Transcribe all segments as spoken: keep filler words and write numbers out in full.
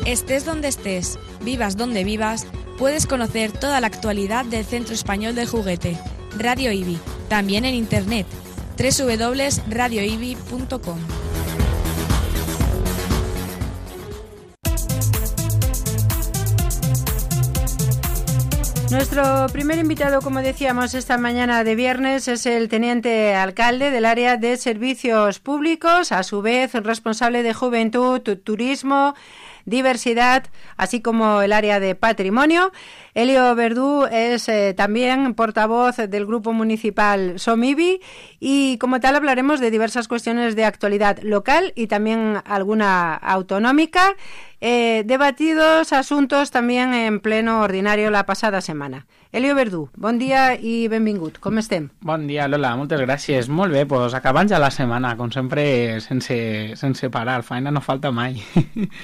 Estés donde estés, vivas donde vivas, puedes conocer toda la actualidad del Centro Español del Juguete, Radio I B I, también en internet, doble u doble u doble u punto radio i b i punto com. Nuestro primer invitado, como decíamos esta mañana de viernes, es el teniente alcalde del área de servicios públicos, a su vez responsable de juventud, turismo, diversidad, así como el área de patrimonio. Elio Verdú es eh, también portavoz del Grupo Municipal Som I B I y como tal hablaremos de diversas cuestiones de actualidad local y también alguna autonómica. Eh, debatidos asuntos también en pleno ordinario la passada setmana. Elio Verdú, bon dia i benvingut. Com estem? Bon dia, Lola, moltes gràcies. Molt bé, doncs acabant ja la setmana, com sempre, sense, sense parar. Feina no falta mai.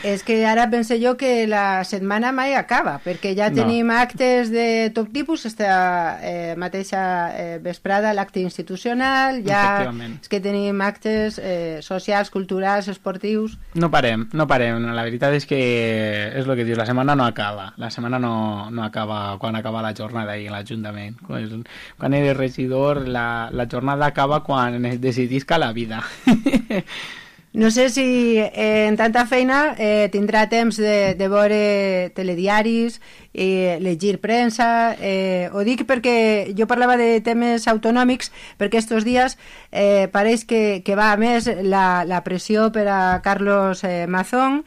És que ara pense jo que la setmana mai acaba, perquè ja tenim no. actes de tot tipus, esta eh, mateixa eh, vesprada, l'acte institucional, ja és que tenim actes eh, socials, culturals, esportius... No parem, no parem. La veritat és que és el que dius, la setmana no acaba. La setmana no, no acaba quan acaba la jornada ahí en l'Ajuntament. Quan, quan eres regidor, la, la jornada acaba quan decidisca la vida. No sé si eh, en tanta feina eh, tindrà temps de, de veure telediaris, eh, llegir premsa. Eh, ho dic perquè jo parlava de temes autonòmics, perquè estos dies eh, pareix que, que va a més la, la pressió per a Carlos eh, Mazón,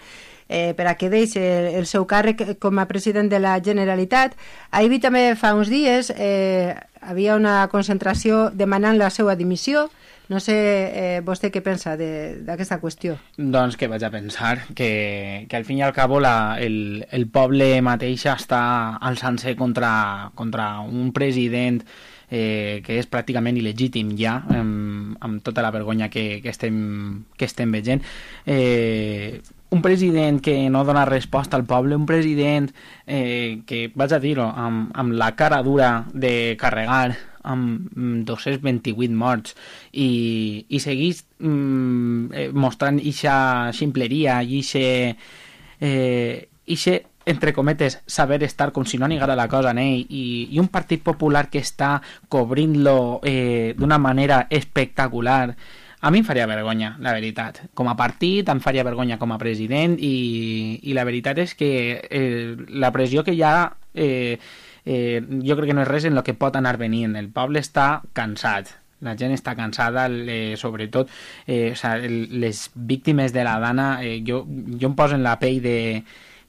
Eh, per a que deixi el, el seu càrrec com a president de la Generalitat. A I B I també fa uns dies eh, havia una concentració demanant la seva dimissió. No sé eh, vostè què pensa d'aquesta qüestió. Doncs que vaig a pensar que, que al fin i al cabo la, el, el poble mateix està alçant-se contra, contra un president eh, que és pràcticament il·legítim ja, amb, amb tota la vergonya que, que, estem, que estem veient. Eh, un president que no dona resposta al poble, un president eh, que, vaig a dir-ho, amb, amb la cara dura de carregar amb dos-cents vint-i-vuit morts i, i seguís mm, eh, mostrant ixa ximpleria i ixe, eh, ixe, entre cometes, saber estar com si no anigara la cosa en ell i, i un Partit Popular que està cobrint-lo eh, d'una manera espectacular. A mi em faria vergonya, la veritat. Com a partit, em faria vergonya com a president i, i la veritat és que eh, la pressió que hi ha eh, eh, jo crec que no és res en el que pot anar venint. El poble està cansat, la gent està cansada, eh, sobretot eh, o sea, el, les víctimes de la Dana, eh, jo, jo em poso en la pell de,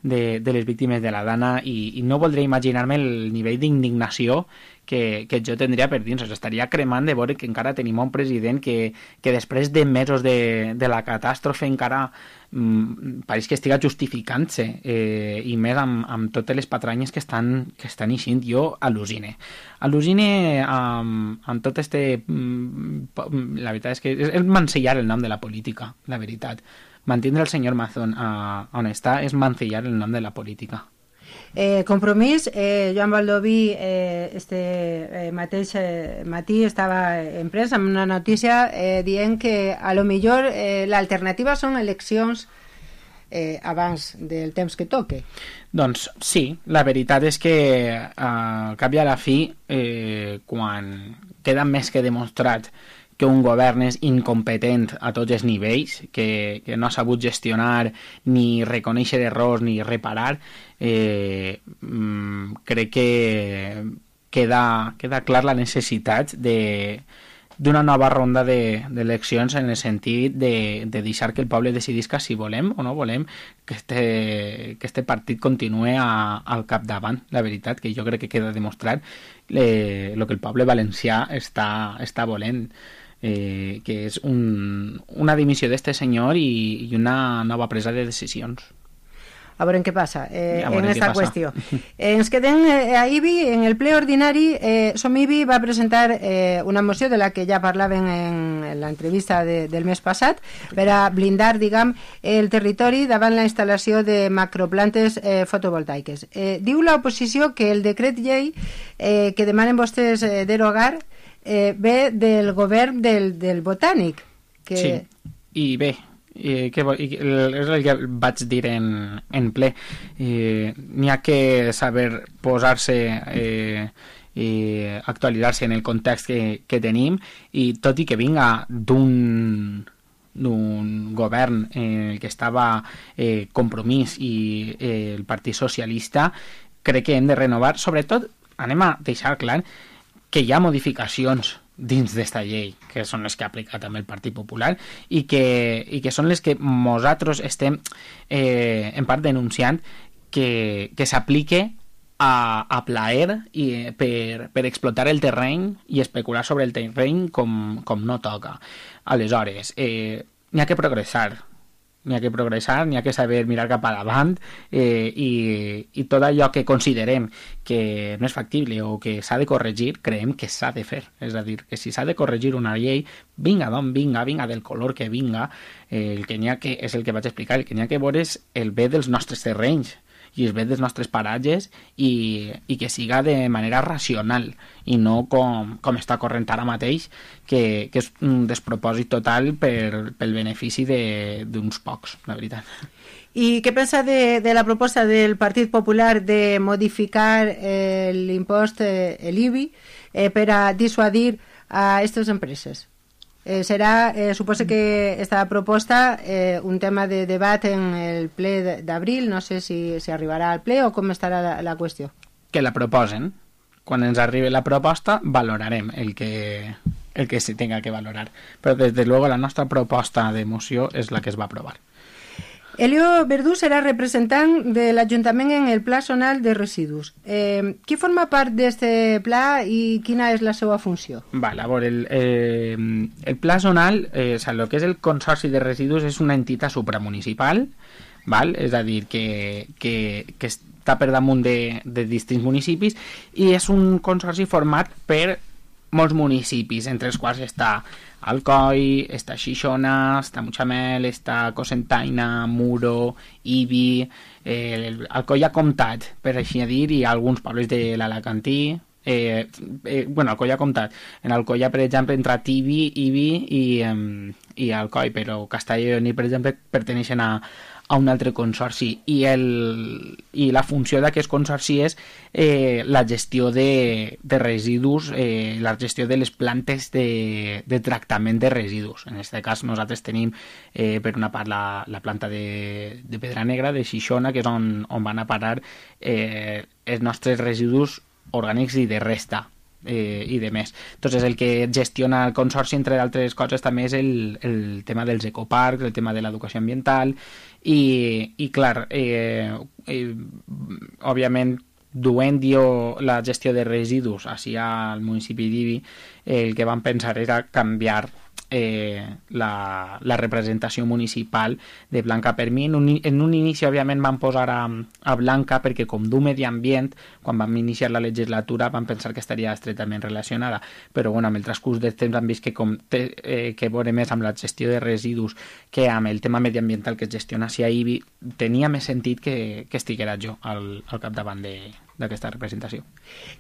de, de les víctimes de la Dana i, i no voldré imaginar-me el nivell d'indignació que, que jo tindria per dins. O sigui, estaria cremant de veure que encara tenim un president que, que després de mesos de, de la catàstrofe encara mm, pareix que estiga justificant-se eh, i més amb, amb totes les patranyes que estan, que estan eixint. Jo al·lucine. Al·lucine amb, amb tot este... Mm, la veritat és que és, és mancillar el nom de la política, la veritat. Mantindre el senyor Mazón a, on està és mancillar el nom de la política. Eh, Compromís, eh, Joan Baldoví eh, este eh, mateix eh, matí estava en premsa amb una notícia eh, dient que a lo millor eh, l'alternativa són eleccions eh, abans del temps que toque. Doncs sí, la veritat és que eh, al cap i a la fi eh, quan queda més que demostrat que un govern és incompetent a tots els nivells, que, que no ha sabut gestionar ni reconèixer errors ni reparar, eh, crec que queda, queda clar la necessitat de d'una nova ronda d'eleccions de, en el sentit de, de deixar que el poble decidisca si volem o no volem que este, que este partit continue a, al capdavant. La veritat que jo crec que queda demostrat eh, el que el poble valencià està, està volent. Eh, que és un, una dimissió d'este senyor i, i una nova presa de decisions. A veure què passa eh, en aquesta qüestió. Eh, ens quedem eh, a I B I, en el ple ordinari. eh, Som I B I va presentar eh, una moció de la que ja parlaven en, en l'entrevista de, del mes passat per a blindar, diguem, el territori davant la instal·lació de macroplantes eh, fotovoltaiques. Eh, diu l'oposició que el decret llei eh, que demanen vostès eh, derogar eh, ve del govern del, del Botànic. Que... Sí, i bé, I que, i és el que vaig dir en, en ple. Eh, n'hi ha que saber posar-se eh, i actualitzar-se en el context que, que tenim, i tot i que vinga d'un d'un govern en el que estava eh, Compromís i eh, el Partit Socialista, crec que hem de renovar. Sobretot anem a deixar clar que hi ha modificacions dins d'esta llei, que són les que ha aplicat amb el Partit Popular, i que, i que són les que nosaltres estem eh, en part denunciant que, que s'aplique a, a plaer i per, per explotar el terreny i especular sobre el terreny com, com no toca. Aleshores, eh, n'hi ha que progressar, n'hi ha que progressar, n'hi ha que saber mirar cap a davant, eh, i, i tot allò que considerem que no és factible o que s'ha de corregir, creiem que s'ha de fer. És a dir, que si s'ha de corregir una llei, vinga d'on vinga, vinga del color que vinga, eh, el que n'hi ha que, és el que vaig explicar, el que n'hi ha que veure és el bé dels nostres terrenys i els bé dels nostres paratges, i, i que siga de manera racional i no com, com està corrent ara mateix, que, que és un despropòsit total per, pel benefici d'uns pocs, la veritat. ¿Y qué piensa de, de la propuesta del Partido Popular de modificar el impuesto, el I B I, eh, para disuadir a estas empresas? Eh, serà, eh, suposo que esta proposta eh, un tema de debat en el ple d'abril, no sé si, si arribarà al ple o com estarà la, la qüestió. Que la proposen. Quan ens arribi la proposta valorarem el que, el que se tenga que valorar. Però desde luego la nostra proposta de moció és la que es va aprovar. Elio Verdú serà representant de l'Ajuntament en el Pla Zonal de Residus. Eh, qui forma part d'aquest pla i quina és la seva funció? Vale, a veure, el, eh, el Pla Zonal, eh, o sea, el que és el Consorci de Residus és una entitat supramunicipal, val? És a dir, que, que, que està per damunt de, de distints municipis, i és un consorci format per molts municipis, entre els quals està Alcoi, està Xixona, està Mutxamel, està Cocentaina, Muro, Ibi, eh, Alcoi ha comptat, per així dir, i alguns pobles de l'Alacantí. Eh, eh, bueno, Alcoi ha comptat. En Alcoi, per exemple, entre Tibi, Ibi i, um, i Alcoi, però Castelló i Lleó, per exemple, perteneixen a, a un altre consorci, i, el, i la funció d'aquest consorci és eh, la gestió de, de residus, eh, la gestió de les plantes de, de tractament de residus. En aquest cas nosaltres tenim eh, per una part la, la planta de, de Pedra Negra, de Xixona, que és on, on van a parar eh, els nostres residus orgànics i de resta. Eh, i de més. Entonces, el que gestiona el consorci, entre altres coses, també és el, el tema dels ecoparcs, el tema de l'educació ambiental, i, i clar, eh, eh, òbviament, duent jo la gestió de residus així al municipi d'Ibi, eh, el que vam pensar era canviar eh, la, la representació municipal de Blanca per mi. En un, en un inici, òbviament, vam posar a, a Blanca perquè, com du Medi Ambient, quan vam iniciar la legislatura vam pensar que estaria estretament relacionada, però bueno, amb el transcurs del temps han vist que com té eh, que veure més amb la gestió de residus que amb el tema mediambiental que es gestiona a Ibi, tenia més sentit que, que estiguera jo al, al capdavant de d'aquesta representació.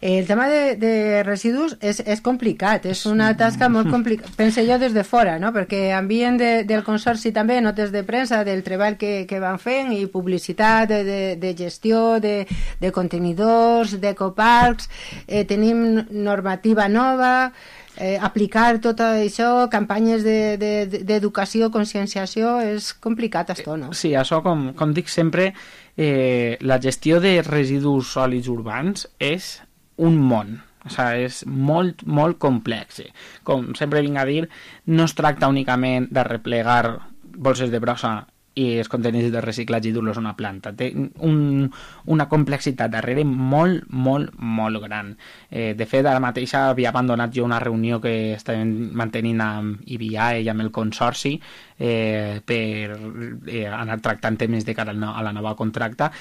El tema de, de residus és, és complicat, és una tasca molt complicada, pense jo des de fora, no? Perquè ambient de, del consorci també, notes de premsa, del treball que, que van fent i publicitat de, de, de gestió, de, de contenidors, d'ecoparcs, eh, tenim normativa nova, eh, aplicar tot això, campanyes d'educació, de, de, conscienciació, és complicat això, no? Sí, això, com, com dic sempre, eh, la gestió de residus sòlids urbans és un món. O sigui, és molt, molt complex. Com sempre vinc a dir, no es tracta únicament de replegar bolses de brossa i els contenidors de reciclatge i dur-los a una planta. Té un, una complexitat darrere molt, molt, molt gran. Eh, de fet, ara mateix havia abandonat jo una reunió que estàvem mantenint amb I B I A i amb el consorci eh, per eh, anar tractant temes de cara a la nova contracta,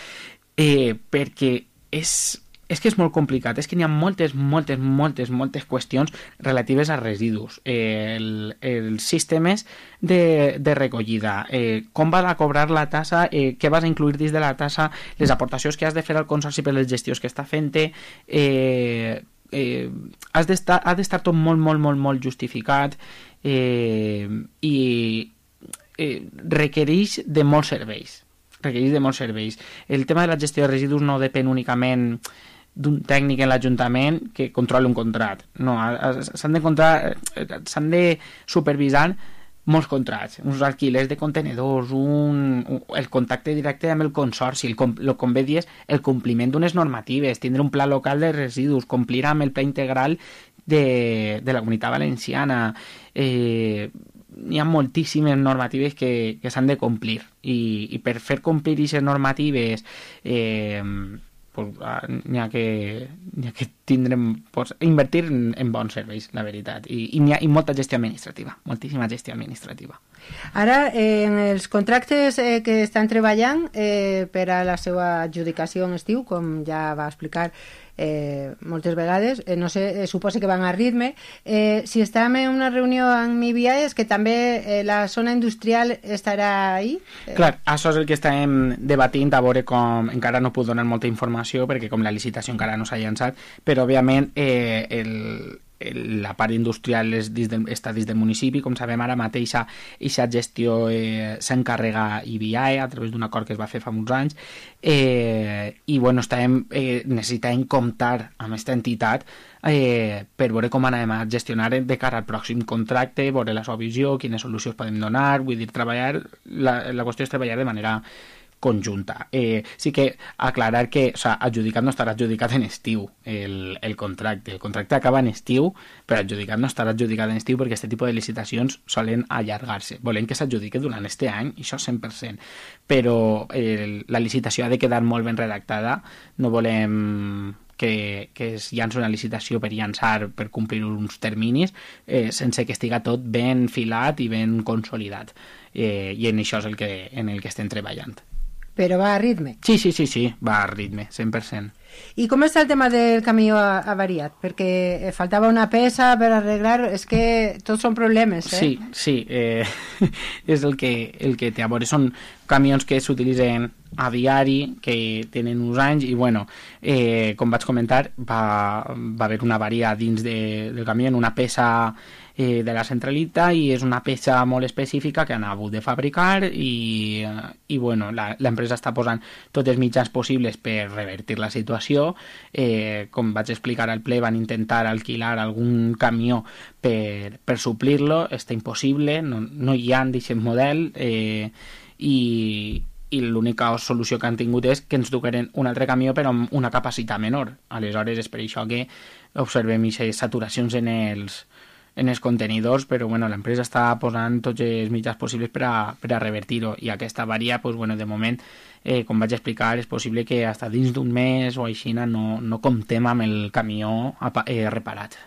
eh, perquè és... és que és molt complicat, és que n'hi ha moltes, moltes, moltes, moltes qüestions relatives a residus, eh, el, els sistemes de, de recollida, eh, com vas a cobrar la tassa, eh, què vas a incluir dins de la tassa, les aportacions que has de fer al consorci per les gestions que està fent-te, eh, eh, has d'estar, ha d'estar tot molt, molt, molt, molt justificat, eh, i eh, requereix de molts serveis. Requereix de molts serveis. El tema de la gestió de residus no depèn únicament d'un tècnic en l'Ajuntament que controli un contrat. No, s'han de, s'han de supervisar molts contrats, uns alquilers de contenedors, un, un, el contacte directe amb el consorci, el, el, com bé dies, el compliment d'unes normatives, tindre un pla local de residus, complir amb el pla integral de, de la Comunitat Valenciana. Eh, hi ha moltíssimes normatives que, que s'han de complir i, i per fer complir aquestes normatives eh, pues, n'hi ha que, n'hi ha que tindrem, pues, invertir en, en bons serveis, la veritat, i, i, ha, i molta gestió administrativa, moltíssima gestió administrativa. Ara, eh, en els contractes eh, que estan treballant eh, per a la seva adjudicació en estiu, com ja va explicar eh, moltes vegades, eh, no sé, eh, suposo que van a ritme, eh, si estàvem en una reunió amb I B I A és que també eh, la zona industrial estarà ahí? Eh... Clar, això és el que estem debatint, a veure com, encara no puc donar molta informació perquè com la licitació encara no s'ha llançat, però òbviament eh, el, el, la part industrial és dins del, està dins del municipi, com sabem ara mateix aquesta gestió eh, s'encarrega I B I A a través d'un acord que es va fer fa uns anys eh, i bueno, estàvem, eh, necessitàvem comptar amb aquesta entitat eh, per veure com anem a gestionar de cara al pròxim contracte, veure la seva visió, quines solucions podem donar, vull dir, treballar, la, la qüestió és treballar de manera conjunta. Eh, sí que aclarar que, o sea, adjudicat no estarà adjudicat en estiu el, el contracte. El contracte acaba en estiu, però adjudicat no estarà adjudicat en estiu perquè aquest tipus de licitacions solen allargar-se. Volem que s'adjudiqui durant este any, i això cent per cent. Però el, la licitació ha de quedar molt ben redactada. No volem que, que es llanci una licitació per llançar, per complir uns terminis, eh, sense que estiga tot ben filat i ben consolidat. Eh, I en això és el que, en el que estem treballant. Però va a ritme? Sí, sí, sí, sí, va a ritme, cent per cent. I com està el tema del camió avariat? Perquè faltava una peça per arreglar, és que tots són problemes, eh? Sí, sí, eh, és el que, el que té a veure, són camions que s'utilitzen a diari, que tenen uns anys, i bueno, eh, com vaig comentar, va, va haver una avaria dins de, del camió, una peça eh, de la centralita, i és una peça molt específica que han hagut de fabricar, i, i bueno, l'empresa està posant tots els mitjans possibles per revertir la situació. Eh, com vaig explicar al ple, van intentar alquilar algun camió per, per suplir-lo, està impossible, no, no hi ha d'aquest model, eh, i, i l'única solució que han tingut és que ens dugueren un altre camió però amb una capacitat menor. Aleshores és per això que observem aquestes saturacions en els, en els contenidors, però bueno, l'empresa està posant tots els mitjans possibles per a, per a revertir-ho, i aquesta avaria, pues, bueno, de moment, eh, com vaig explicar, és possible que fins dins d'un mes o així no, no comptem amb el camió eh, reparat.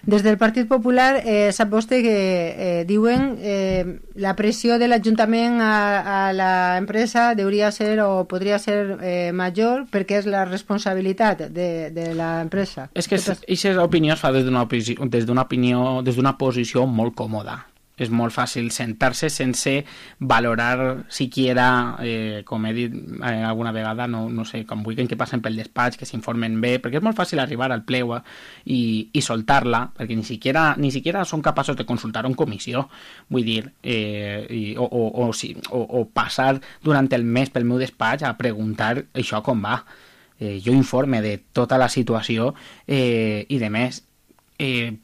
Des del Partit Popular eh, sap vostè que eh, diuen eh, la pressió de l'Ajuntament a, a l'empresa hauria ser o podria ser eh, major perquè és la responsabilitat de, de l'empresa. És que aquesta opinió es fa des d'una des d'una opinió, des d'una posició molt còmoda. És molt fàcil sentar-se sense valorar siquiera, eh, com he dit eh, alguna vegada, no, no sé, com vulguin que passen pel despatx, que s'informen bé, perquè és molt fàcil arribar al ple i, i soltar-la, perquè ni siquiera, ni siquiera són capaços de consultar en comissió, vull dir, eh, i, o, o, o, sí, o, o passar durant el mes pel meu despatx a preguntar això com va. Eh, jo informe de tota la situació eh, i de més. Eh,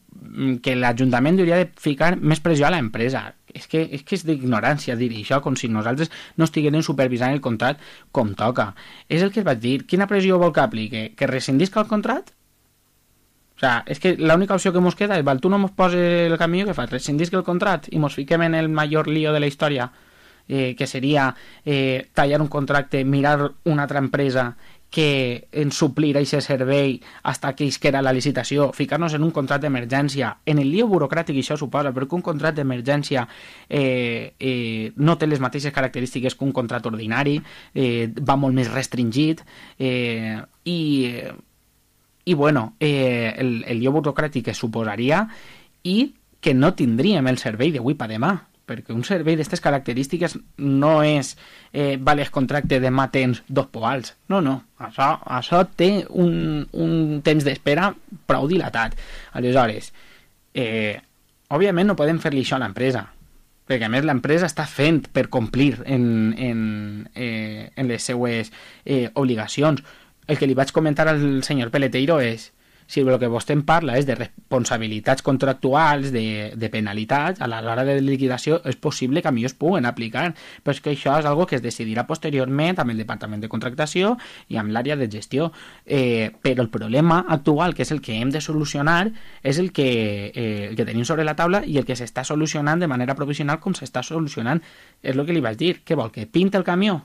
que l'Ajuntament hauria de ficar més pressió a l'empresa. És que, és que és d'ignorància dir això, com si nosaltres no estiguéssim supervisant el contracte com toca. És el que es va dir. Quina pressió vol que apliqui? Que rescindisca el contracte? O sea, és que l'única opció que ens queda és, val, tu no ens poses el camió, que fas? Rescindisca el contracte i ens fiquem en el major lío de la història, eh, que seria eh, tallar un contracte, mirar una altra empresa que en suplir aquest servei hasta que isquera la licitació, ficar-nos en un contracte d'emergència, en el lío burocràtic això suposa, perquè un contracte d'emergència eh, eh, no té les mateixes característiques que un contracte ordinari, eh, va molt més restringit, eh, i, i bueno, eh, el, el lío burocràtic que suposaria, i que no tindríem el servei d'avui per demà, perquè un servei d'aquestes característiques no és eh, vale, el contracte demà tens dos poals, no, no, això, això té un, un temps d'espera prou dilatat. Aleshores, eh, òbviament no podem fer-li això a l'empresa, perquè a més l'empresa està fent per complir en, en, eh, en les seues eh, obligacions. El que li vaig comentar al senyor Peleteiro és, si el que vostè em parla és de responsabilitats contractuals, de, de penalitats, a l'hora de liquidació és possible que a mi es puguen aplicar, però és que això és algo que es decidirà posteriorment amb el Departament de Contractació i amb l'àrea de gestió. Eh, però el problema actual, que és el que hem de solucionar, és el que, eh, el que tenim sobre la taula i el que s'està solucionant de manera provisional com s'està solucionant. És el que li vaig dir. Què vol, que pinta el camió?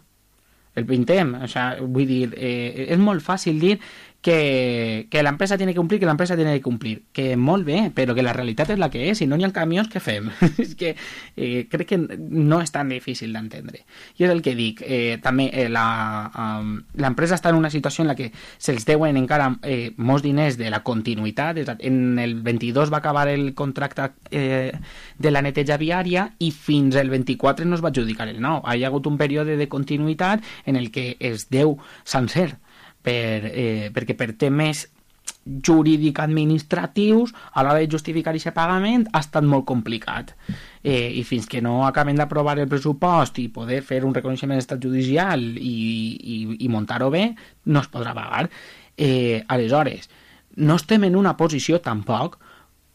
El pintem. O sea, vull dir, eh, és molt fàcil dir que, que la empresa tiene que cumplir, que la empresa tiene que cumplir, que molt bé, però que la realitat és la que és, si no n'hi ha camions, què fem? És que eh, crec que no és tan difícil d'entendre. I és el que dic, eh, també eh, la, um, l'empresa està en una situació en la que se'ls deuen encara eh, molts diners de la continuïtat, en el vint-i-dos va acabar el contracte eh, de la neteja viària i fins el vint-i-quatre no es va adjudicar el nou. Hi ha hagut un període de continuïtat en el que es deu sencer, per, eh, perquè per temes jurídic-administratius a l'hora de justificar aquest pagament ha estat molt complicat, eh, i fins que no acabem d'aprovar el pressupost i poder fer un reconeixement d'estat judicial i, i, i muntar-ho bé, no es podrà pagar. Eh, aleshores, no estem en una posició tampoc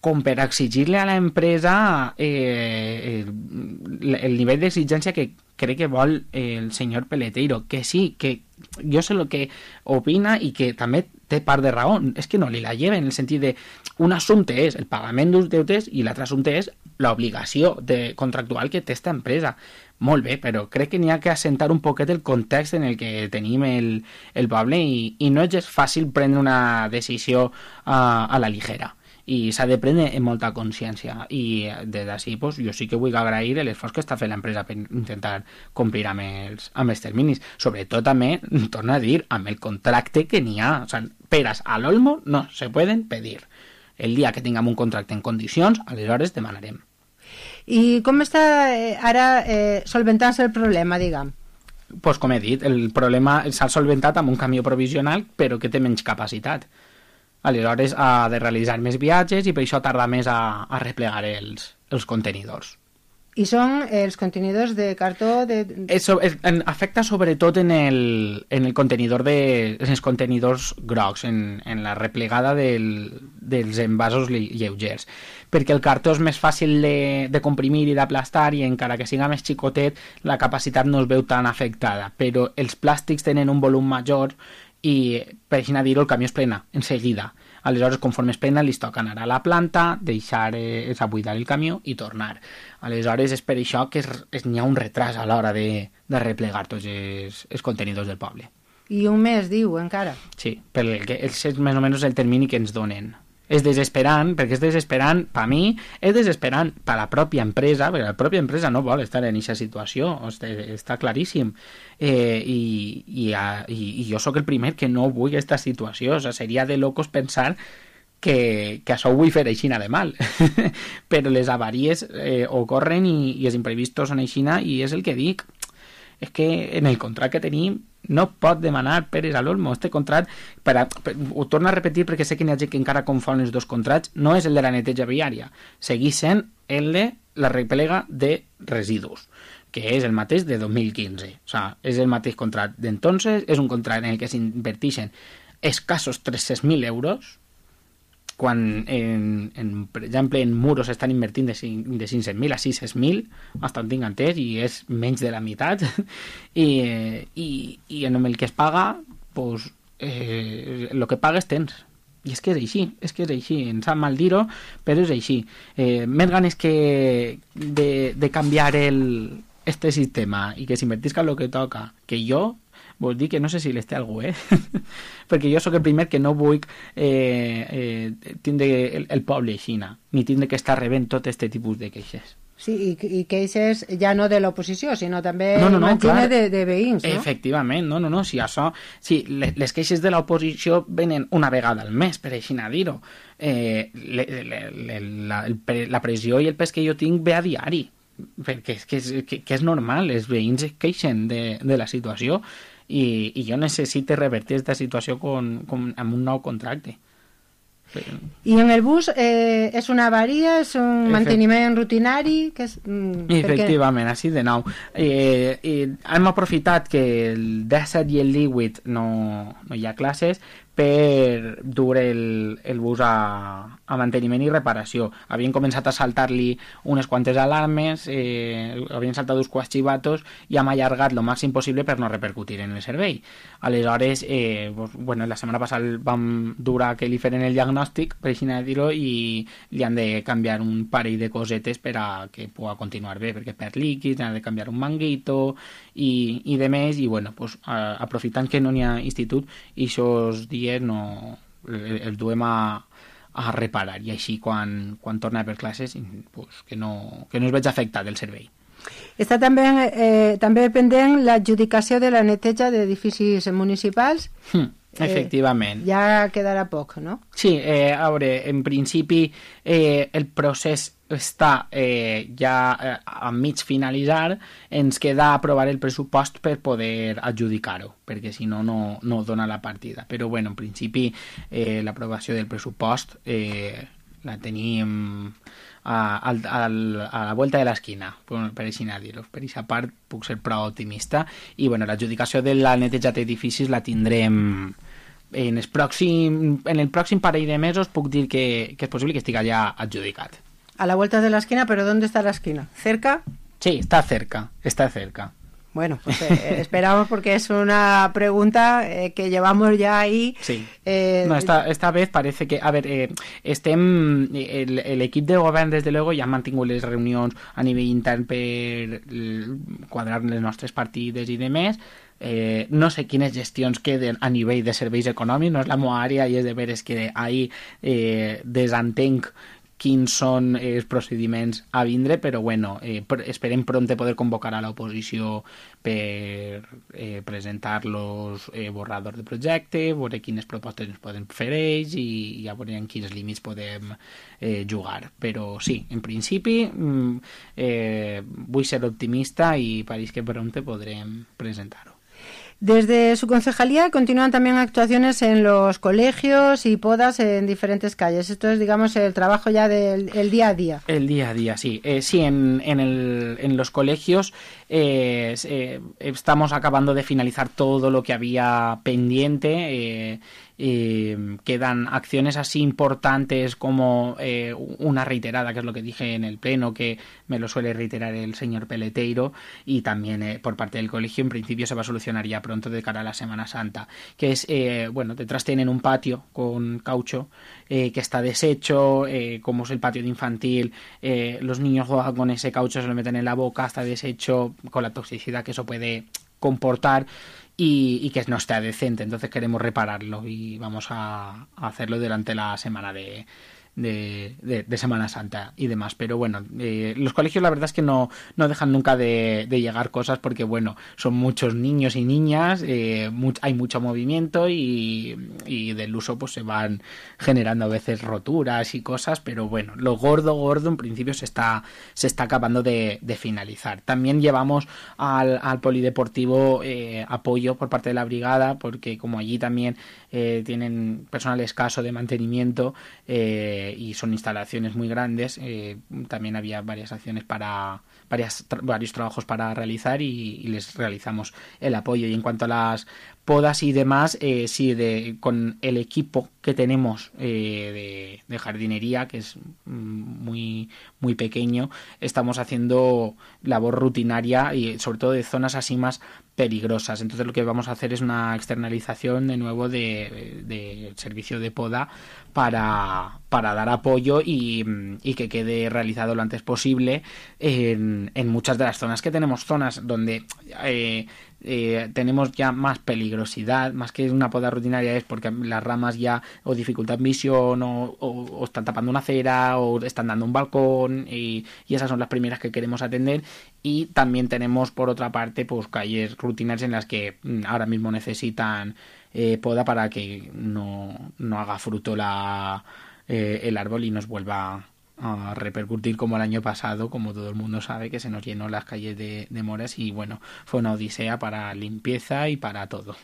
com per exigir-li a l'empresa eh, el, el nivell d'exigència que crec que vol el senyor Peleteiro, que sí, que jo sé el que opina i que també té part de raó, és que no li la lleva en el sentit de un assumpte és el pagament d'uns deutes i l'altre assumpte és l'obligació de contractual que té esta empresa. Molt bé, però crec que n'hi ha que assentar un poquet el context en el que tenim el, el poble i, i no és gens fàcil prendre una decisió uh, a la ligera. I s'ha de prendre amb molta consciència i des d'ací pues, jo sí que vull agrair l'esforç que està fent l'empresa per intentar complir amb els, amb els terminis, sobretot també, torno a dir, amb el contracte que n'hi ha, o sea, peras al olmo no se pueden pedir. El dia que tinguem un contracte en condicions, aleshores demanarem. I com està eh, ara eh, solventant-se el problema, diguem? Pues com he dit, el problema s'ha solventat amb un camió provisional però que té menys capacitat. Aleshores ha de realitzar més viatges i per això tarda més a, a replegar els, els contenidors. I són els contenidors de cartó... De... Es, es, en, afecta sobretot en el, en el contenidor de, en els contenidors grocs, en, en la replegada del, dels envasos lleugers, perquè el cartó és més fàcil de, de comprimir i d'aplastar i encara que siga més xicotet la capacitat no es veu tan afectada, però els plàstics tenen un volum major i per així dir-ho el camió es plena en seguida. Aleshores, conforme es plena, li toca anar a la planta, deixar eh, buidar el camió i tornar. Aleshores, és per això que es, es, n'hi ha un retras a l'hora de, de replegar tots els, els contenidors del poble. I un mes, diu, encara? Sí, perquè és més o menys el termini que ens donen. És desesperant, perquè és desesperant per a mi, és desesperant per a la pròpia empresa, perquè la pròpia empresa no vol estar en aquesta situació, està claríssim. Eh, i, i, i, I jo sóc el primer que no vull aquesta situació, o sigui, seria de locos pensar que, que això ho vull fer aixina de mal. Però les avaries eh, ocorren i, i els imprevistos són aixina i és el que dic. És que en el contracte que tenim no pot demanar peres a l'olmo. Este contracte, per a, per, ho torno a repetir perquè sé que n'hi ha gent que encara confon els dos contractes, no és el de la neteja viària, segueix sent el de la replega de residus, que és el mateix de dos mil quinze. O sea, és el mateix contracte d'entonces, és un contracte en el que s'inverteixen escassos tres-cents mil euros, quan, en, en, per exemple, en muros estan invertint de, de cinc-cents mil a sis-cents mil, bastant tinc entès, i és menys de la meitat, i, i, i en el que es paga, pues, eh, el que pagues tens. I és que és així, és que és així, em sap mal dir-ho, però és així. Eh, més ganes que de, de canviar el, este sistema i que s'invertisca el que toca, que jo, vol dir que no sé si les té algú, eh? Perquè jo sóc el primer que no vull eh, eh, tindre el, el poble aixina, ni tindre que estar rebent tot este tipus de queixes. Sí, i, i queixes ja no de l'oposició, sinó també no, no, no, imagina de, de veïns, no? Efectivament, no, no, no, si això, si les, les queixes de l'oposició venen una vegada al mes, per així dir-ho. Eh, le, le, le, la, el, la pressió i el pes que jo tinc ve a diari, perquè és, que, és, que, que és normal, els veïns es queixen de, de la situació, i, i jo necessito revertir aquesta situació con, con, amb un nou contracte. I en el bus eh, és una avaria, és un Efect... manteniment rutinari? Que és, mm, Efectivament, perquè... així de nou. Eh, eh, hem aprofitat que el disset i el divuit no, no hi ha classes per dur el, el bus a, a manteniment i reparació. Havien començat a saltar-li unes quantes alarmes, eh, havien saltat uns quants xivatos i hem allargat el màxim possible per no repercutir en el servei. Aleshores, eh, pues, bueno, la setmana passada vam dur a que li feren el diagnòstic, per així dir-ho, i li han de canviar un parell de cosetes per a que pugui continuar bé, perquè perd líquids, han de canviar un manguito i, i de més, i bueno, pues, a, aprofitant que no n'hi ha institut, i aquests dies no el, el duem a, a reparar, i així quan, quan torna a haver classes pues, que, no, que no es veig afectat el servei. Està també, eh, també pendent l'adjudicació de la neteja d'edificis municipals. Hmm. Efectivament. Eh, ja quedarà poc, no? Sí, eh, a veure, en principi eh, el procés està eh, ja eh, a mig finalitzar, ens queda aprovar el pressupost per poder adjudicar-ho, perquè si no, no, no dona la partida. Però bueno, en principi eh, l'aprovació del pressupost eh, la tenim a, a, a, a la vuelta de l'esquina, per, per així dir-ho. Per aquesta part puc ser prou optimista, i bueno, l'adjudicació de la neteja d'edificis la tindrem en el pròxim, en el pròxim parell de mesos. Puc dir que, que és possible que estigui ja adjudicat. A la vuelta de la esquina, pero ¿dónde está la esquina? ¿Cerca? Sí, está cerca, está cerca. Bueno, pues eh, esperamos, porque es una pregunta eh, que llevamos ya ahí. Sí. Eh, no, esta, esta vez parece que... A ver, eh, estem... El, el equip de govern, des de luego, ja han mantingut les reunions a nivell intern per quadrar les nostres partides i demés. Eh, no sé quines gestions queden a nivell de serveis econòmics, no és la meva àrea, i és de veres que ahí eh, desentenc quins són els procediments a vindre, però bueno, eh, esperem pront poder convocar a l'oposició per eh, presentar los eh, borradors de projecte, veure quines propostes ens poden fer ells, i ja veurem en quins límits podem eh, jugar. Però sí, en principi eh, vull ser optimista i pareix que pront podrem presentar-ho. Desde su concejalía continúan también actuaciones en los colegios y podas en diferentes calles. Esto es, digamos, el trabajo ya del el día a día. El día a día, sí. Eh, sí, en, en, el, en los colegios eh, eh, estamos acabando de finalizar todo lo que había pendiente. Eh, Eh, quedan acciones así importantes como eh, una reiterada, que es lo que dije en el pleno, que me lo suele reiterar el señor Peleteiro, y también eh, por parte del colegio. En principio se va a solucionar ya pronto de cara a la Semana Santa, que es, eh, bueno, detrás tienen un patio con caucho eh, que está deshecho, eh, como es el patio de infantil, eh, los niños juegan con ese caucho, se lo meten en la boca, está deshecho, con la toxicidad que eso puede comportar, Y, y que no está decente. Entonces queremos repararlo y vamos a, a hacerlo durante la semana de, de, de, de Semana Santa y demás. Pero bueno, eh, los colegios la verdad es que no, no dejan nunca de, de llegar cosas, porque bueno, son muchos niños y niñas, eh, much, hay mucho movimiento, y, y del uso pues se van generando a veces roturas y cosas, pero bueno, lo gordo gordo en principio se está, se está acabando de, de finalizar. También llevamos al, al polideportivo eh, apoyo por parte de la brigada, porque como allí también eh, tienen personal escaso de mantenimiento, eh, y son instalaciones muy grandes, eh, también había varias acciones para varias, tra- varios trabajos para realizar, y, y les realizamos el apoyo. Y en cuanto a las podas y demás, eh, sí, de, con el equipo que tenemos eh, de, de jardinería, que es muy, muy pequeño, estamos haciendo labor rutinaria, y sobre todo de zonas así más peligrosas. Entonces lo que vamos a hacer es una externalización de nuevo de, de servicio de poda para, para dar apoyo y, y que quede realizado lo antes posible en, en muchas de las zonas que tenemos, zonas donde eh, eh, tenemos ya más peligrosidad, más que una poda rutinaria, es porque las ramas ya o dificultan visión, o, o, o están tapando una acera, o están dando un balcón, y, y esas son las primeras que queremos atender. Y también tenemos por otra parte pues calles rutinarias en las que ahora mismo necesitan eh, poda para que no, no haga fruto la, eh, el árbol y nos vuelva a repercutir como el año pasado, como todo el mundo sabe, que se nos llenó las calles de, de moras, y bueno, fue una odisea para limpieza y para todo.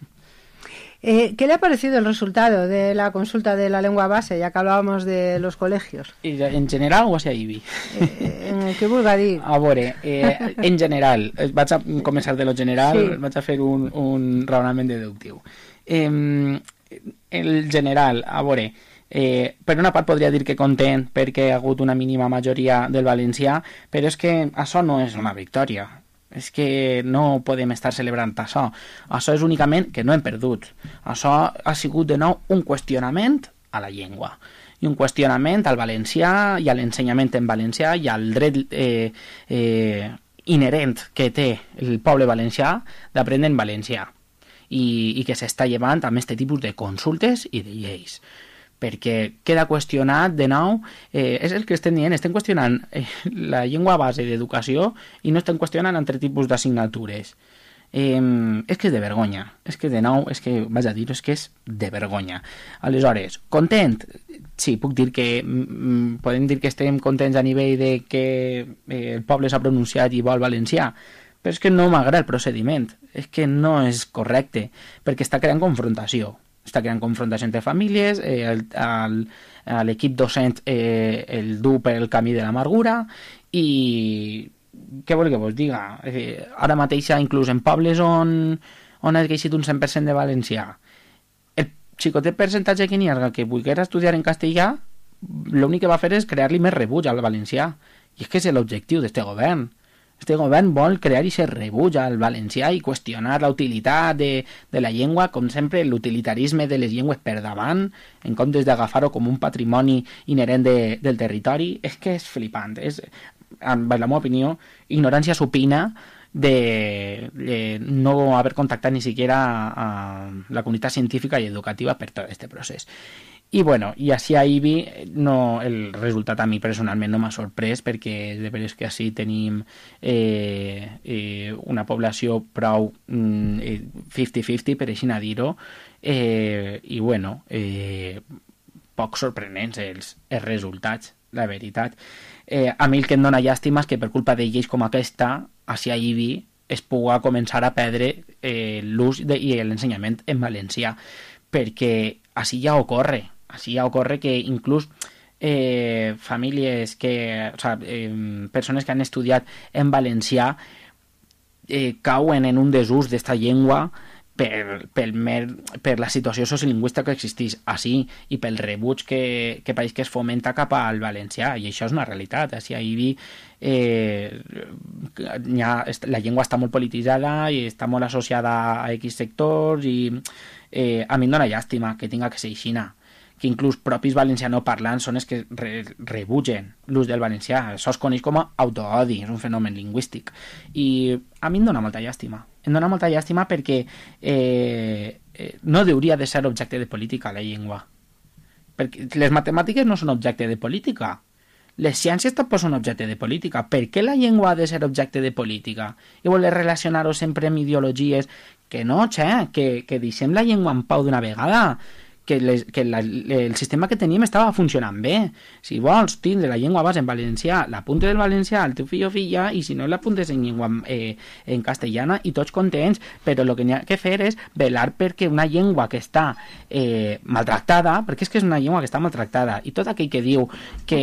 Eh, ¿Qué le ha parecido el resultado de la consulta de la lengua base, ya que hablábamos de los colegios? En general o hacia I B I? Eh, en el que vulga dir. A veure, eh, en general, vaig a començar de lo general, sí. Vaig a fer un, un raonament deductiu. Eh, el general, a veure, eh, per una part podria dir que content perquè ha hagut una mínima majoria del valencià, però és que això no és una victòria. És que no podem estar celebrant això. Això és únicament que no hem perdut. Això ha sigut de nou un qüestionament a la llengua i un qüestionament al valencià i a l'ensenyament en valencià i al dret eh, eh, inherent que té el poble valencià d'aprendre en valencià i, i que s'està llevant amb aquest tipus de consultes i de lleis, perquè queda qüestionat de nou, eh, és el que estem dient, estem qüestionant eh, la llengua base d'educació i no estem qüestionant altre tipus d'assignatures. Eh, és que és de vergonya, és que de nou, és que, vaig a dir, és que és de vergonya. Aleshores, content? Sí, puc dir que, mm, podem dir que estem contents a nivell de que eh, el poble s'ha pronunciat i vol valencià, però és que no m'agrada el procediment, és que no és correcte, perquè està creant confrontació. Està creant confrontació entre famílies, eh, el, el, l'equip docent eh, el du per el camí de l'amargura i què vol que vos diga? Eh, ara mateix, inclús en pobles on, on ha creixit un cent per cent de valencià, el xicotet percentatge que n'hi ha que volguera estudiar en castellà, l'únic que va fer és crear-li més rebuig al valencià, i és que és l'objectiu d'aquest govern. Este govern vol crear i ser rebuig al valencià i qüestionar la utilitat de, de la llengua, com sempre l'utilitarisme de les llengües per davant, en comptes d'agafar-ho com un patrimoni inherent de, del territori. És que és flipant, és, en la meva opinió, ignorància supina de, de no haver contactat ni siquiera a, a la comunitat científica i educativa per tot aquest procés. I bueno, i així a I B I no, el resultat a mi personalment no m'ha sorprès perquè de veres que així tenim eh, eh, una població prou mm, cinquanta cinquanta, per així dir-ho, eh, i bueno, eh, poc sorprenents els, els resultats, la veritat. Eh, a mi el que em dóna llàstima és que per culpa de lleis com aquesta, així a I B I es pugui començar a perdre eh, l'ús de, i l'ensenyament en valencià, perquè així ja ocorre. Així ja ocorre que inclús eh, famílies que, o sea, eh, persones que han estudiat en valencià eh, cauen en un desús d'esta llengua per, per, mer, per la situació sociolingüística que existeix així i pel rebuig que, que pareix que es fomenta cap al valencià, i això és una realitat. Així a I B I eh, ha, la llengua està molt polititzada i està molt associada a X sectors i eh, a mi em dóna llàstima que tinga que ser aixina, que inclús propis valencianoparlants són els que re, rebutgen l'ús del valencià. Això es coneix com a autoodi, és un fenomen lingüístic. I a mi em dóna molta llàstima. Em dóna molta llàstima perquè eh, eh, no hauria de ser objecte de política la llengua. Perquè les matemàtiques no són objecte de política. Les ciències tampoc són objecte de política. Per què la llengua ha de ser objecte de política? I voler relacionar-ho sempre amb ideologies? Que no, xe, que, que deixem la llengua en pau d'una vegada. Que, les, que la, el sistema que tenim estava funcionant bé. Si vols tindre la llengua base en valencià, l'apunte del valencià al teu fill o filla, i si no l'apuntes en llengua eh, en castellana, i tots contents, però el que n'hi ha que fer és velar perquè una llengua que està eh, maltractada, perquè és que és una llengua que està maltractada, i tot aquell que diu que,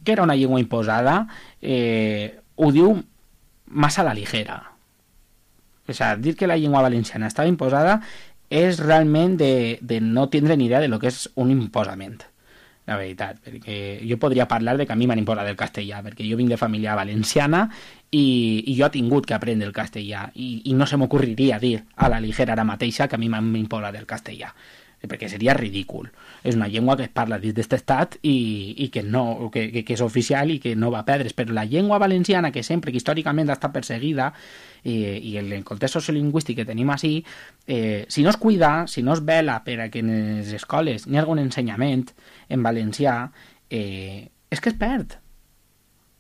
que era una llengua imposada eh, ho diu massa a la ligera. O sigui, dir que la llengua valenciana estava imposada és realment de, de no tindre ni idea de lo que és un imposament, la veritat, perquè jo podria parlar de que a mi m'han imposat el castellà, perquè jo vinc de família valenciana i, i jo he tingut que aprendre el castellà i, i no se m'ocorriria dir a la ligera ara mateixa que a mi m'han imposat el castellà, perquè seria ridícul. És una llengua que es parla dins d'aquest estat i, i que, no, que, que, que és oficial i que no va perdre's, però la llengua valenciana, que sempre, que històricament ha estat perseguida, i, i el context sociolingüístic que tenim així, eh, si no es cuida, si no es vela per a que en les escoles n'hi ha algun ensenyament en valencià, eh, és que es perd.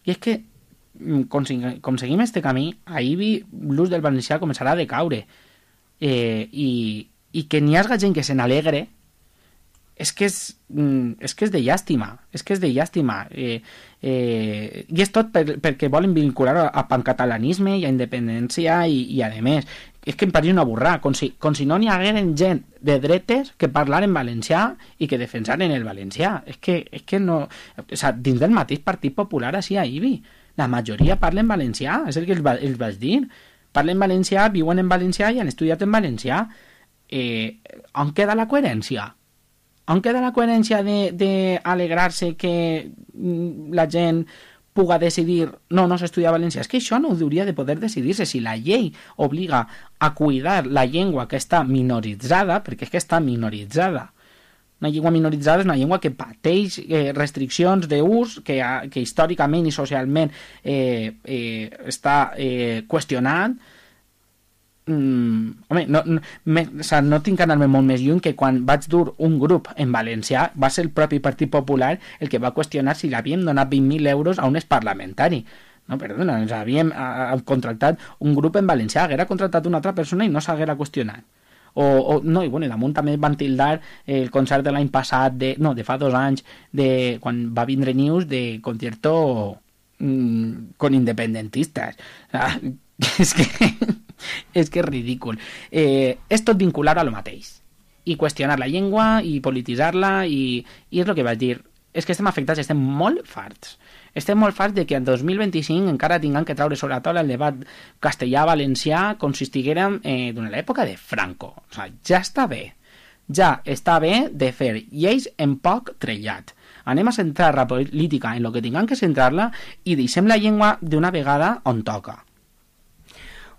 I és que com, com seguim este camí, a I B I l'ús del valencià començarà a decaure, eh, i, i que n'hi hagi gent que se n'alegre és que és, és que és de llàstima, és que és de llàstima. Eh, eh, I és tot per, perquè volen vincular a, a pancatalanisme i a independència i, i a més. És que em pareix una burrada, com si, com si no n'hi hagueren gent de dretes que parlaren valencià i que defensaren el valencià. És que, és que no... O sigui, dins del mateix Partit Popular així a Ibi, la majoria parlen valencià, és el que els, va, els vaig dir. Parlen valencià, viuen en valencià i han estudiat en valencià. Eh, on queda la coherència? On queda la coherència d'alegrar-se que la gent puga decidir no, no s'estudia valencià? És que això no hauria de poder decidir-se. Si la llei obliga a cuidar la llengua que està minoritzada, perquè és que està minoritzada, una llengua minoritzada és una llengua que pateix eh, restriccions d'ús, que, que històricament i socialment eh, eh, està eh, qüestionat. Mm, home, no, no, me, o sea, no tinc que anar-me molt més lluny que quan vaig dur un grup en valencià va ser el propi Partit Popular el que va qüestionar si l'havíem donat vint mil euros a un exparlamentari. No, perdona, ens havíem a, a, contractat un grup en valencià, haguera contractat una altra persona i no s'haguera qüestionat. O, o, no, i bueno, i damunt també van tildar el concert de l'any passat, de, no, de fa dos anys, de, quan va vindre News, de concierto mmm, con independentistas. O sea, és que... és que és ridícul. Eh, és tot vincular a lo mateix. I qüestionar la llengua, i polititzar-la, i, i és el que vaig dir. És que estem afectats, estem molt farts. Estem molt farts de que en dos mil vint-i-cinc encara tinguem que treure sobre la taula el debat castellà-valencià com si estiguérem eh, d'una l'època de Franco. O sigui, ja està bé. Ja està bé de fer lleis en poc trellat. Anem a centrar la política en el que tinguem que centrar-la i deixem la llengua d'una vegada on toca.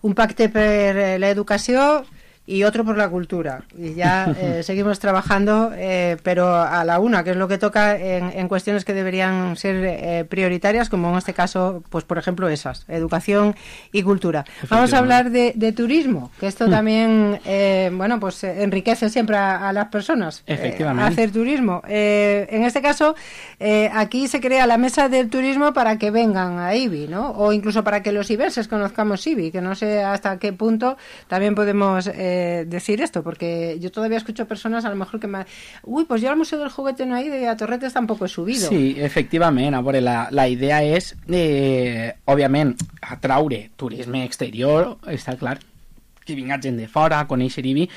Un pacte per la educació y otro por la cultura. Y ya eh, seguimos trabajando, eh, pero a la una, que es lo que toca en, en cuestiones que deberían ser eh, prioritarias, como en este caso, pues por ejemplo esas, educación y cultura. Vamos a hablar de, de turismo, que esto también, eh, bueno, pues enriquece siempre a, a las personas. Efectivamente. Eh, hacer turismo. Eh, en este caso, eh, aquí se crea la mesa del turismo para que vengan a Ibi, ¿no? O incluso para que los ibenses conozcamos Ibi, que no sé hasta qué punto también podemos... Eh, decir esto, porque yo todavía escucho personas a lo mejor que me... Uy, pues yo al Museo del Juguete no he ido y a Torretes tampoco he subido. Sí, efectivament, a veure, la, la idea és, eh, òbviament, atraure turisme exterior, està clar, que vinga gent de fora a conèixer Ibi,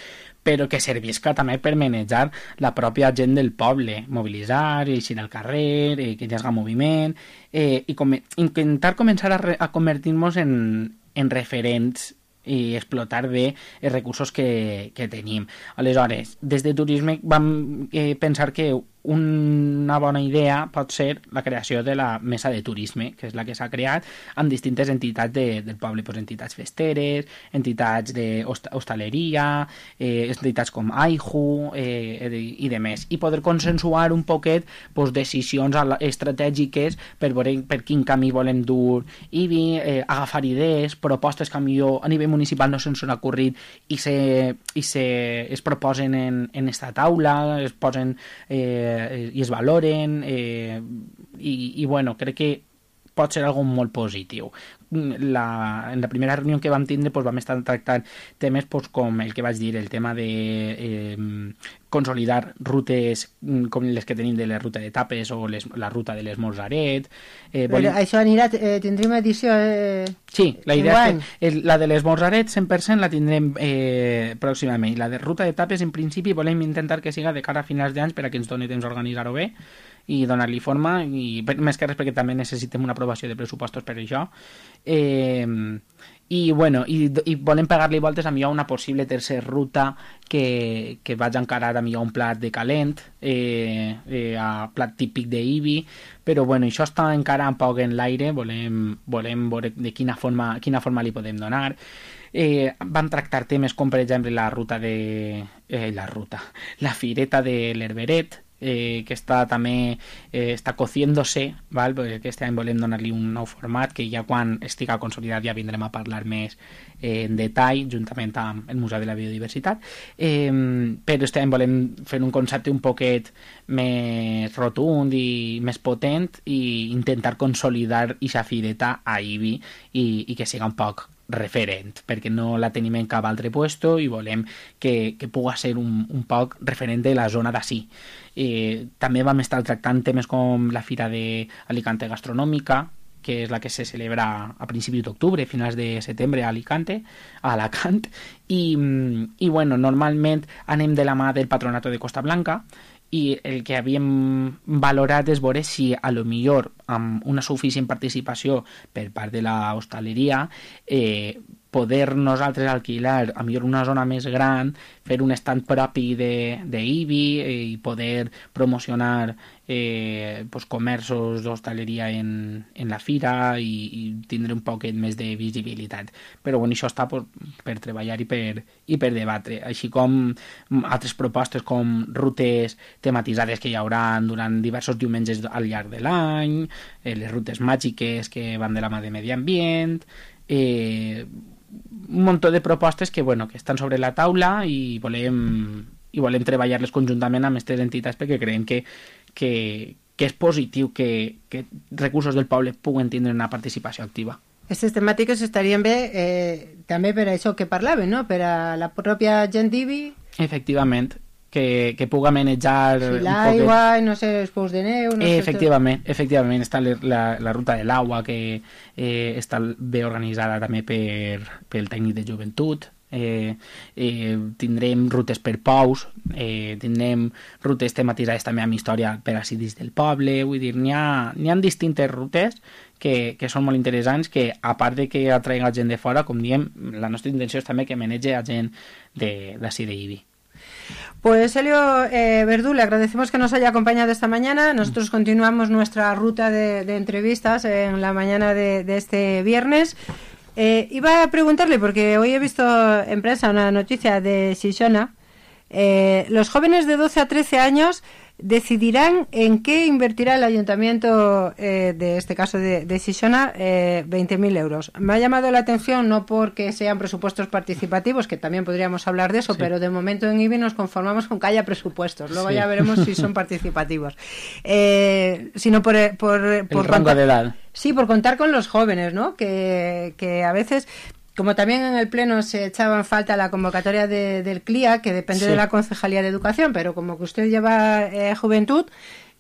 però que servisca també per manejar la pròpia gent del poble, mobilitzar, eixir al carrer, eh, que hi hagi moviment, eh, i com, intentar començar a, re, a convertir-nos en, en referents i explotar bé els recursos que, que tenim. Aleshores, des de turisme vam eh, pensar que una bona idea pot ser la creació de la mesa de turisme, que és la que s'ha creat amb distintes entitats de, del poble, pues, entitats festeres, entitats d'hostaleria, eh, entitats com AIJU eh, i de més, i poder consensuar un poquet pues, decisions estratègiques per veure per quin camí volem dur Ibi, eh, agafar idees, propostes que millor a nivell municipal no se'ns han ocorrit i, se, i se, es proposen en, en esta taula, es posen eh, i es valoren eh, i, i bueno, crec que pot ser algo molt positiu. La, en la primera reunió que vam tindre pues, vam estar tractant temes pues, com el que vaig dir, el tema de eh, consolidar rutes com les que tenim de la ruta de Tapes o les, la ruta de l'Esmorzaret. Eh, vol... Això anirà, eh, tindrem edició eh, sí, la idea és que el, la de l'Esmorzaret cent per cent la tindrem eh, pròximament. La de ruta de Tapes en principi volem intentar que siga de cara a finals d'anys per a que ens doni temps a organitzar-ho bé i donar-li forma, i més que res perquè també necessitem una aprovació de pressupostos per això. Eh, i, bueno, i, i volem pegar-li voltes a millor una possible tercera ruta que, que vaig encarar a millor un plat de calent, eh, eh, a plat típic d'Ibi, però bueno, això està encara un poc en l'aire, volem, volem veure de quina forma, quina forma li podem donar. Eh, van tractar temes com per exemple la ruta de... Eh, la ruta, la fireta de l'Herberet, Eh, que està també eh, està cociéndose, val? Perquè aquest any volem donar-li un nou format que ja quan estigui consolidat ja vindrem a parlar més eh, en detall juntament amb el Museu de la Biodiversitat, eh, però este any volem fer un concepte un poquet més rotund i més potent i intentar consolidar aquesta fireta a Ibi i, i que siga un poc referent, perquè no la tenim en cap altre puesto i volem que, que pugui ser un, un poc referent de la zona d'ací. Eh, també vam estar tractant temes com la Fira d'Alicante Gastronòmica, que és la que se celebra a principis d'octubre, finals de setembre a Alicante, a Alacant, i, i bueno, normalment anem de la mà del Patronato de Costa Blanca, i el que havíem valorat és veure si a lo millor amb una suficient participació per part de la hostaleria eh, poder nosaltres alquilar a millor una zona més gran, fer un stand propi d'Ibi eh, i poder promocionar eh, pues, comerços d'hostaleria en, en la fira i, i tindre un poquet més de visibilitat. Però bueno, això està pues, per treballar i per, i per debatre, així com altres propostes com rutes tematitzades que hi haurà durant diversos diumenges al llarg de l'any, eh, les rutes màgiques que van de la mà de medi ambient, eh, un munt de propostes que, bueno, que estan sobre la taula i volem, i volem treballar-les conjuntament amb aquestes entitats perquè creiem que, que, que és positiu que, que recursos del poble puguen tindre una participació activa. Aquestes temàtiques estarien bé eh, també per això que parlaven, no? Per a la pròpia gent d'Ibi. Efectivament, que, que puga manejar... Sí, l'aigua, no sé, els pous de neu... No eh, efectivament, sé efectivament, està la, la ruta de l'aigua que eh, està bé organitzada també per, pel tècnic de joventut. Eh, eh, tindrem rutes per pous, eh, tindrem rutes tematitzades també amb història per a citis del poble, vull dir, n'hi ha, n'hi ha distintes rutes que, que són molt interessants, que a part de que atraiguen gent de fora, com diem, la nostra intenció és també que manege a gent d'ací d'Ibi. Pues Helio eh, Verdú, le agradecemos que nos haya acompañado esta mañana. Nosotros continuamos nuestra ruta de, de entrevistas en la mañana de, de este viernes. Eh, iba a preguntarle, porque hoy he visto en prensa una noticia de Xixona. Eh, los jóvenes de doce a trece años decidirán en qué invertirá el ayuntamiento, eh, de este caso de, de Xixona, eh, veinte mil euros. Me ha llamado la atención, no porque sean presupuestos participativos, que también podríamos hablar de eso, sí, pero de momento en Ibi nos conformamos con que haya presupuestos. Luego sí, ya veremos si son participativos. Eh, sino por... por, el por rango contar, de edad. Sí, por contar con los jóvenes, ¿no? Que, que a veces... Como también en el Pleno se echaba en falta la convocatoria de, del C L I A, que depende sí. de la Concejalía de Educación, pero como que usted lleva eh, juventud,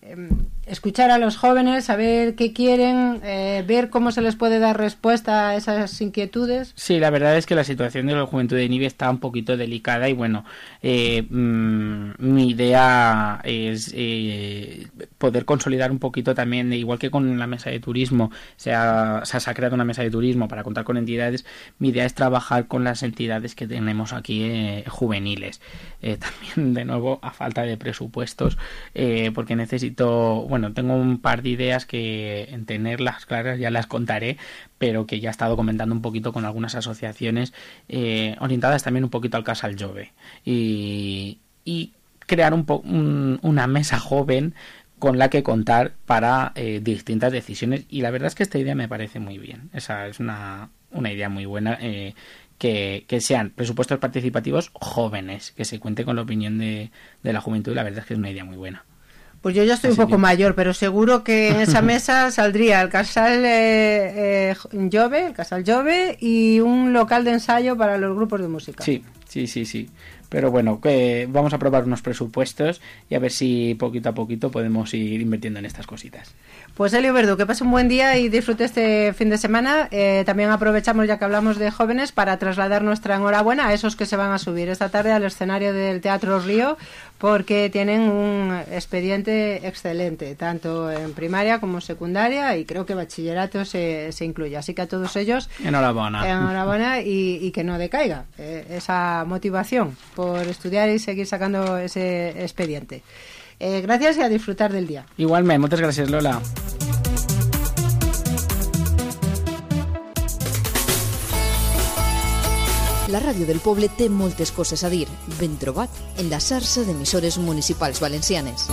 eh, escuchar a los jóvenes, saber qué quieren, eh, ver cómo se les puede dar respuesta a esas inquietudes. Sí, la verdad es que la situación de la juventud de Ibi está un poquito delicada y bueno, eh, mmm, mi idea es eh, poder consolidar un poquito también, igual que con la mesa de turismo, se ha, se ha creado una mesa de turismo para contar con entidades, mi idea es trabajar con las entidades que tenemos aquí eh, juveniles. Eh, también, de nuevo, a falta de presupuestos, eh, porque necesito, bueno, tengo un par de ideas que en tenerlas claras ya las contaré, pero que ya he estado comentando un poquito con algunas asociaciones eh, orientadas también un poquito al Casal Jove y, y crear un, po un una mesa joven con la que contar para eh, distintas decisiones, y la verdad es que esta idea me parece muy bien. Esa es una, una idea muy buena, eh, que, que sean presupuestos participativos jóvenes, que se cuente con la opinión de, de la juventud, y la verdad es que es una idea muy buena. Pues yo ya estoy Así un poco que... mayor, pero seguro que en esa mesa saldría el Casal eh, eh, Jove, el Casal Jove y un local de ensayo para los grupos de música. Sí, sí, sí, sí. Pero bueno, que vamos a aprobar unos presupuestos y a ver si poquito a poquito podemos ir invirtiendo en estas cositas. Pues Helio Verdú, que pase un buen día y disfrute este fin de semana. Eh, también aprovechamos, ya que hablamos de jóvenes, para trasladar nuestra enhorabuena a esos que se van a subir esta tarde al escenario del Teatro Río, porque tienen un expediente excelente, tanto en primaria como secundaria, y creo que bachillerato se, se incluye. Así que a todos ellos, enhorabuena. Enhorabuena y, y que no decaiga eh, esa motivación por estudiar y seguir sacando ese expediente. Eh, gracias y a disfrutar del día. Igualmente, muchas gracias, Lola. La ràdio del poble té moltes coses a dir. Ben trobat, en la xarxa d'emissores municipals valencianes.